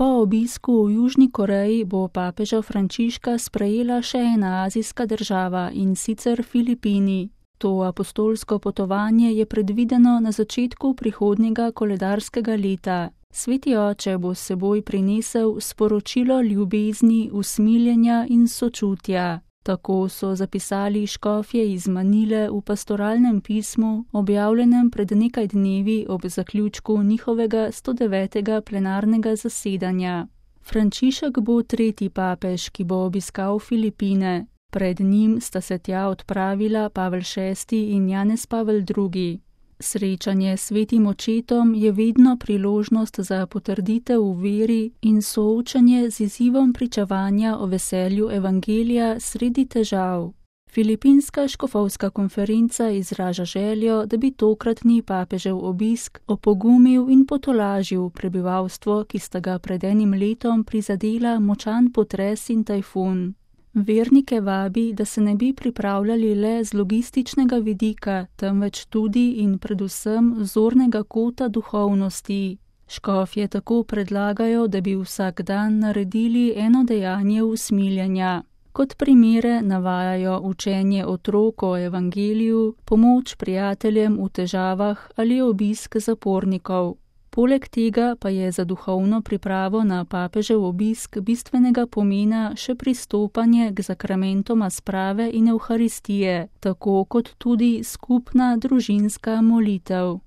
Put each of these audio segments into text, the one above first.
Po obisku v Južni Koreji bo papeža Frančiška sprejela še ena azijska država, in sicer Filipini. To apostolsko potovanje je predvideno na začetku prihodnjega koledarskega leta. Sveti oče bo s seboj prinesel sporočilo ljubezni, usmiljenja in sočutja. Tako so zapisali škofje iz Manile v pastoralnem pismu, objavljenem pred nekaj dnevi ob zaključku njihovega 109. plenarnega zasedanja. Frančišek bo tretji papež, ki bo obiskal Filipine. Pred njim sta se tja odpravila Pavel VI in Janez Pavel II. Srečanje s svetim očetom je vedno priložnost za potrditev v veri in soočanje z izzivom pričevanja o veselju evangelija sredi težav. Filipinska škofovska konferenca izraža željo, da bi tokratni papežev obisk opogumil in potolažil prebivalstvo, ki sta ga pred enim letom prizadela močan potres in tajfun. Vernike vabi, da se ne bi pripravljali le z logističnega vidika, temveč tudi in predvsem zornega kota duhovnosti. Škofje tako predlagajo, da bi vsak dan naredili eno dejanje usmiljenja. Kot primere navajajo učenje otrok o evangeliju, pomoč prijateljem v težavah ali obisk zapornikov. Poleg tega pa je za duhovno pripravo na papežev obisk bistvenega pomena še pristopanje k zakramentoma sprave in evharistije, tako kot tudi skupna družinska molitev.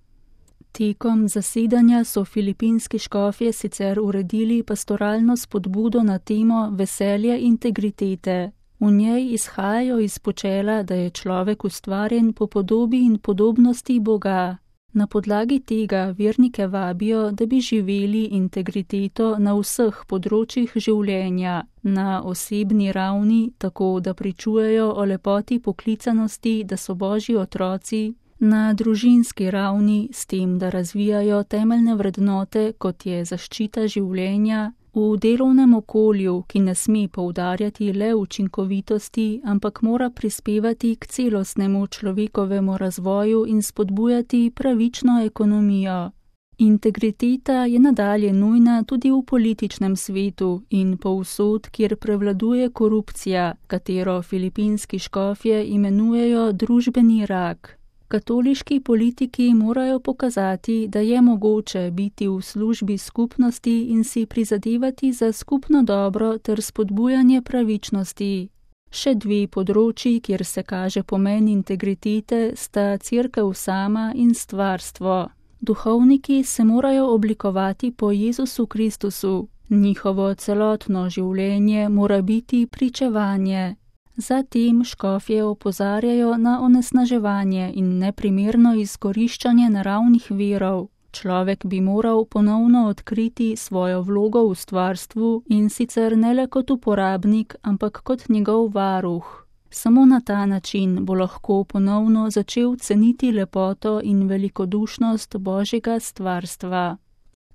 Tekom zasedanja so filipinski škofje sicer uredili pastoralno spodbudo na temo veselje integritete. V njej izhajajo iz počela, da je človek ustvarjen po podobi in podobnosti Boga. Na podlagi tega vernike vabijo, da bi živeli integriteto na vseh področjih življenja, na osebni ravni, tako da pričujejo o lepoti poklicanosti, da so Božji otroci, na družinski ravni, s tem, da razvijajo temeljne vrednote, kot je zaščita življenja, v delovnem okolju, ki ne sme poudarjati le učinkovitosti, ampak mora prispevati k celostnemu človekovemu razvoju in spodbujati pravično ekonomijo. Integriteta je nadalje nujna tudi v političnem svetu in povsod, kjer prevladuje korupcija, katero filipinski škofje imenujejo družbeni rak. Katoliški politiki morajo pokazati, da je mogoče biti v službi skupnosti in si prizadevati za skupno dobro ter spodbujanje pravičnosti. Še dve področji, kjer se kaže pomen integritete, sta cerkev sama in stvarstvo. Duhovniki se morajo oblikovati po Jezusu Kristusu. Njihovo celotno življenje mora biti pričevanje. Zatem škofje opozarjajo na onesnaževanje in neprimerno izkoriščanje naravnih virov. Človek bi moral ponovno odkriti svojo vlogo v stvarstvu in sicer ne le kot uporabnik, ampak kot njegov varuh. Samo na ta način bo lahko ponovno začel ceniti lepoto in velikodušnost Božjega stvarstva.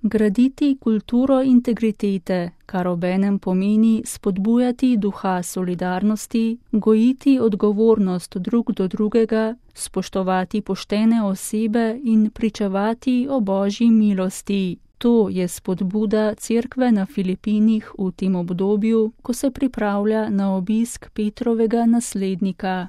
Graditi kulturo integritete, kar obenem pomeni spodbujati duha solidarnosti, gojiti odgovornost drug do drugega, spoštovati poštene osebe in pričevati o Božji milosti. To je spodbuda cerkve na Filipinih v tem obdobju, ko se pripravlja na obisk Petrovega naslednika.